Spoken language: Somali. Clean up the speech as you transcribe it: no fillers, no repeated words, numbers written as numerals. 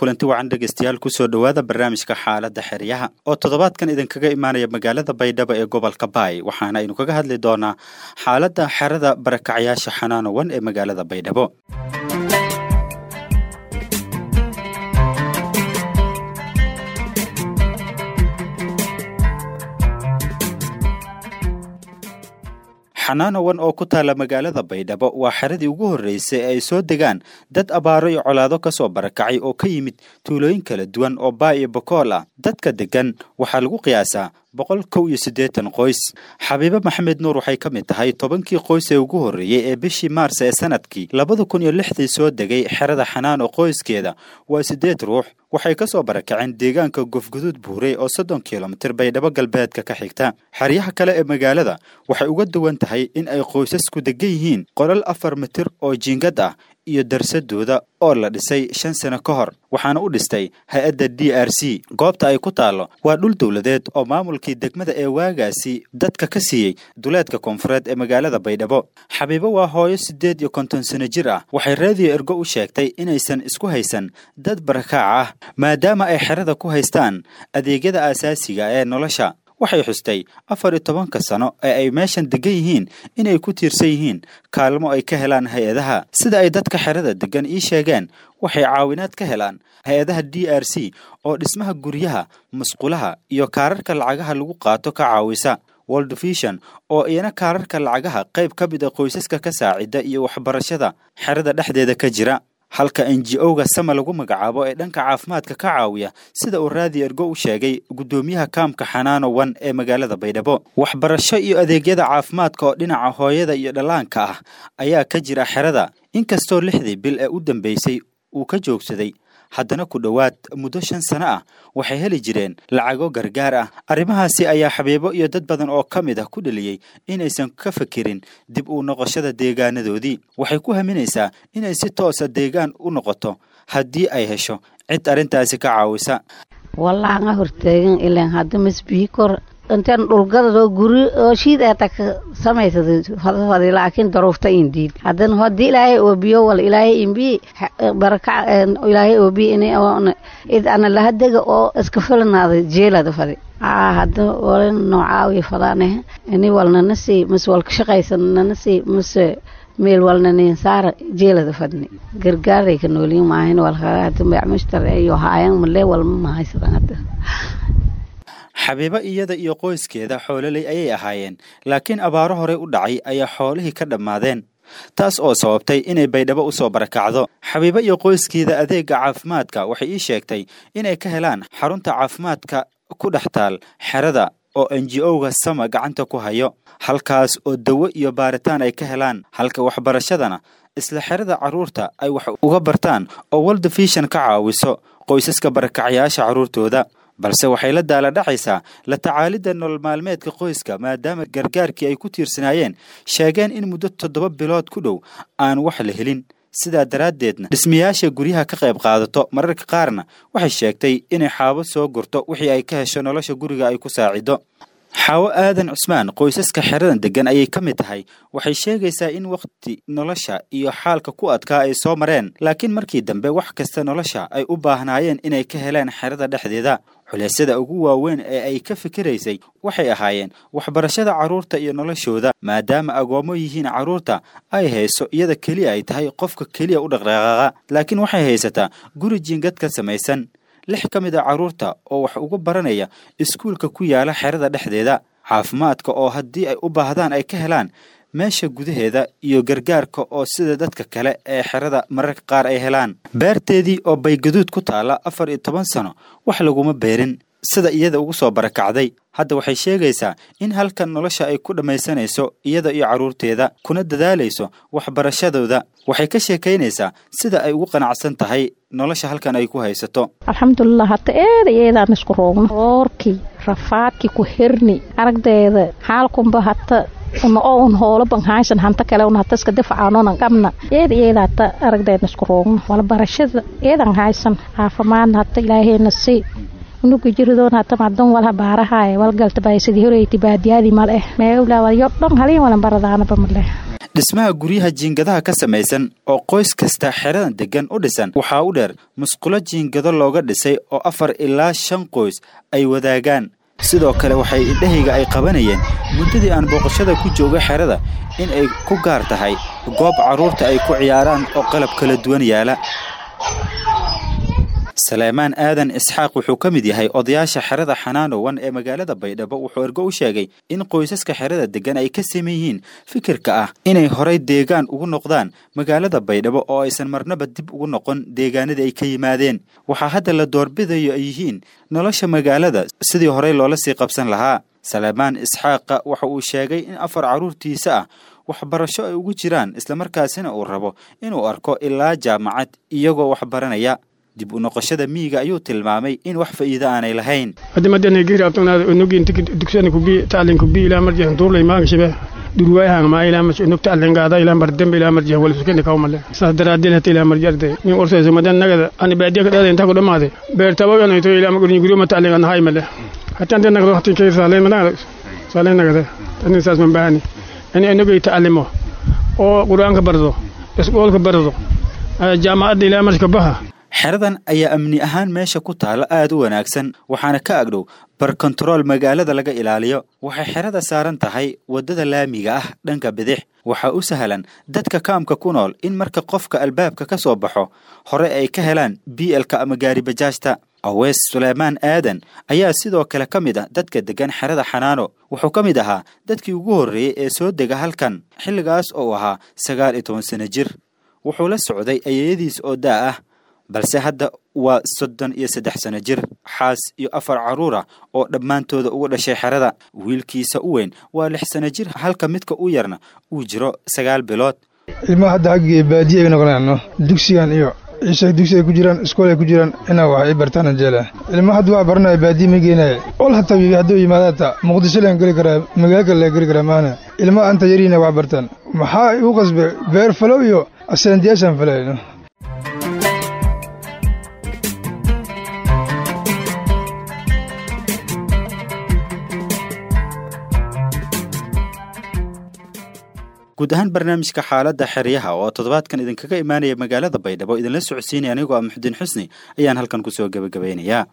Kulanti wacan dhegeystayaal, kusoo dhowaada barnaamijka xaaladda xeryaha oo toddobaadkan idinkaga imaanaya magaalada Baydhabo ee gobolka Baay. Waxaana aynu kaga hadli doonaa xaaladda xerada barakacyaasha Xanaanowan ee magaalada Baydhabo. Xanaanowan oo ku taala magaalada Baydhabo waa xeradii ugu horreysay ee ay soo degaan dad abaaro iyo colaado ka soo barakacay oo ka yimid tuulooyin kala duwan oo Baay iyo Bokool ah. Dadka degan waxaa lagu qiyaasaa 181 qoys. Xabiibe Maxamed Nuur waxay ka mid tahay 10kii qoys ee ugu horreeyey ee bishii Maars ee sanadkii 2006dii soo degay xerada Xanaano. Qoyskeeda waa 8 ruux. Waxay ka soo barakaceen deegaanka Gofguduud Buurey oo 30 kilomitir Baydhabo galbeedka ka xigta. Xeryaha kale ee magaalada waxay uga duwan tahay in ay qoysasku degan yihiin qolal 4 mitir oo jiingad ah iyo darsadooda oo la dhisay 5 sano ka hor, waxaana u dhistay hay-adda DRC. Goobta ay ku taallo waa dhul dowladeed oo maamulkii degmada ee waagaasi dadka ka siiyey duleedka koonfureed ee magaalada Baydhabo. Xabiibo waa hooyo 58 sano jir ah. Waxay Raadiyo Ergo u sheegtay inaysan isku haysan dad barakaac ah, maadaama ay xerada ku haystaan adeegyada aasaasiga ee nolosha. Waxay xustay 14ka sano ee ay meeshan degan yihiin inay ku tiirsan yihiin kaalmo ay ka helaan hay-adaha. Sida ay dadka xerada degan ii sheegeen, waxay caawinaad ka helaan hay-adaha DRC oo dhismaha guryaha, musqulaha iyo kaararka lacagaha lagu qaato ka caawisa, World Vision oo iyana kaararka lacagaha qayb ka mid a qoysaska ka saacida, iyo waxbarashada xerada dhexdeeda ka jira, halka NGO-ga Sama lagu magacaabo ee dhanka caafimaadka ka caawiya, sida uu Raadi Ergo u sheegay guddoomiyaha kaamka Xanaano Wan ee magaalada Baydhabo. Waxbarasho iyo adeegyada caafimaadka oo dhinaca hooyada iyo dhallaanka ah ayaa ka jira xerada, inkastoo 6dii bil ee u dambeysay uu ka joogsaday, haddana ku dhowaad muddo 5 sano ah waxay heli jireen lacago gargaar ah. Arrimahaasi ayaa Xabiibo iyo dad badan oo ka mid ah ku dheliyey inaysan ka fekerin dib u noqoshada deegaanadoodii. Waxay ku haminaysaa inay si toosa deegaan u noqoto haddii ay hesho cid arrintaasi ka caawisa. Wallahi hortaagan ilaan hadda masbihi kor intaan dhulgadadoo guri oo shiid aata ka samaysada fadfadi, laakiin daruufta indiid. Haddana haddii Ilaahay oobiyo wal Ilaahay imbi baraka Ilaahay oobiyo inay id ana lahadega oo iska filanaada jeelada fadi. Hadda walin noocaawi fadaaneh ini walnana sii mise walka shaqaysanana sii mise meel walna nin saara jeelada fadni. Gargaaray ka noolin maahin walka hadda macmushtar iyo haayan male walma mahaysadan hadda. Xabiibo iyada iyo qoyskeeda xoololey ayay ahaayeen, laakiin abaaro horey u dhacay ayaa xoolihii ka dhammaadeen, taas oo sababtay inay Baydhabo u soo barakacdo. Xabiibo iyo qoyskeeda adeega caafimaadka waxay ii sheegtay inay ka helaan xarunta caafimaadka ku dhex taal xerada oo NGO-ga Sama gacanta ku hayo, halkaas oo dawo iyo baaritaan ay ka helaan, halka waxbarashadana isla xerada carruurta ay wax uga bartaan oo World Vision ka caawiso qoysaska barakacyaasha carruurtooda. Balse waxay la daala dhacaysaa la tacaalidda nolol maalmeedka qoyska, maadaama gargaarkii ay ku tiirsanaayeen sheegeen in muddo 7 bilood ku dhow aan wax la helin, sidaa daraaddeedna dhismayaasha guryaha ka qayb qaadato. Mararka qaarna waxay sheegtay inay xaabo soo gurto, wixii ay ka hesho nolosha guriga ay ku saacido. Xaawo Aadan Cusmaan qoysaska xeradan degan ayay ka mid tahay. Waxay sheegaysaa in wakhti nolosha iyo xaalka ku adkaa ay soo mareen, laakiin markii dambe wax kasta nolosha ay u baahnaayeen inay ka heleen xerada dhexdeeda. Culeysyada ugu waaweyn ee ay ka fikiraysay waxay ahaayeen waxbarashada carruurta iyo noloshooda, maadaama agoommo yihiin carruurta ay hayso, iyada keliya ay tahay qofka keliya u dhaqdhaqaaqa. Laakiin waxay haysataa guri jiingad ka samaysan, 6 ka mid a carruurta oo wax uga baranaya iskuulka ku yaala xerada dhexdeeda, caafimaadka oo haddii ay u baahdaan ay ka helaan meesha gudaheeda, iyo gargaarka oo sida dadka kale ee xerada mararka qaar ay helaan. Beerteedii oo Baygaduud ku taala 14 sano wax laguma beerin, sida iyada ugu soo barakacday. Hadda waxay sheegaysaa in halkan nolosha ay ku dhammaysanayso iyada iyo carruurteeda, kuna dadaalayso waxbarashadooda. Waxay ka sheekaynaysaa sida ay ugu qanacsan tahay nolosha halkan ay ku haysato. Alxamdulilah, hata eeda eedaan isku roogno, roorkii rafaadkii ku hirni aragdeeda xaalkunba hata una oo un hoolo ban haysan hanta kale un hata iska difacaanonan qabna. Eeda eeda hata aragdeedna isku roogno, walbarashada eedan haysan, caafimaadna hata Ilaahayna sii unuga jiridoon hata madan walha baarahaye walgalta bay sidii horeyti baadiyaadii mal eh meewlaa walyo dhan haliin walan baradaanaba maleh. Dhismaha guryaha jiingadaha ka samaysan oo qoys kasta xeradan degan u dhisan waxaa u dheer musqulo jiingado looga dhisay oo 4 ilaa 5 qoys ay wadaagaan. Sidoo kale waxay indhahayga ay qabanayeen muddadii aan booqashada ku joogay xerada in ay ku gaar tahay goob carruurta ay ku ciyaaraan oo qalab kala duwan yaala. Saleymaan Aadan Isxaaq wuxuu ka mid yahay odayaasha xerada Xanaanowan ee magaalada Baydhabo. Wuxuu Ergo u sheegay in qoysaska xerada degan ay ka siman yihiin fikirka ah inay horay deegaan ugu noqdaan magaalada Baydhabo oo aysan marnaba dib ugu noqon deegaanadii ay ka yimaadeen. Waxaa hadda la doorbidayo ay yihiin nolosha magaalada sidii horey loola sii qabsan lahaa. Saleymaan Isxaaqa waxa uu sheegay in 4 carruurtiisa ah waxbarasho ay ugu jiraan, islamarkaasina uu rabo inuu arko ilaa jaamacad iyagoo wax baranaya. Dib u noqoshada miyiga ayuu tilmaamay in wax faa'iido aanay lahayn. Oo qur-aanka bardo, iskuolka bardo, jaamacadda ilaa marka baha. Xeradan ayaa amni ahaan meesha ku taala aad u wanaagsan, waxaana ka agdhow bar kontarool magaalada laga ilaaliyo. Waxay xerada saaran tahay waddada laamiga ah dhanka bidix. Waxaa u sahlan dadka kaamka ku nool in marka qofka albaabka ka soo baxo hore ay ka helaan bielka ama gaari bajaajta. Aweys Suleymaan Aadan ayaa sidoo kale ka mid ah dadka degan xerada Xanaano. Wuxuu ka mid ahaa dadkii ugu horreeyey ee soo dega halkan, xilligaas oo uu ahaa 19 sano jir. Wuxuu la socday ayeeyadiis oo daa ah, balse hadda waa 33 sano jir, xaas iyo 4 carruur ah oo dhammaantooda ugu dhashay xerada. Wiilkiisa u weyn waa 6 sano jir, halka midka u yarna uu jiro 9 bilood. Ilmaha hadda xaggii baadiye ay noqonayaan, dugsigan iyo ciisha dugsi ay ku jiraan, iskool ay ku jiraan, inaa wax ay bartaan jeela. Ilmaha hadda wax baranaya baadiye ma geenaya. Ol hataa hadduu yimaado hataa Muqdisho laan geli karaa, magaalo kale laan geli karaa maana. Ilmaha anta yariina wax bartaan. Maxaa igu qasbay beer falow iyo aseentiyaashaan falayno. Guud ahaan barnaamijka xaaladda xeryaha oo toddobaadkan idinkaga imaanaya magaalada Baydhabo idinla socodsiinaya anigoo ah Muxudiin Xusni ayaan halkan kusoo gebagabaynayaa.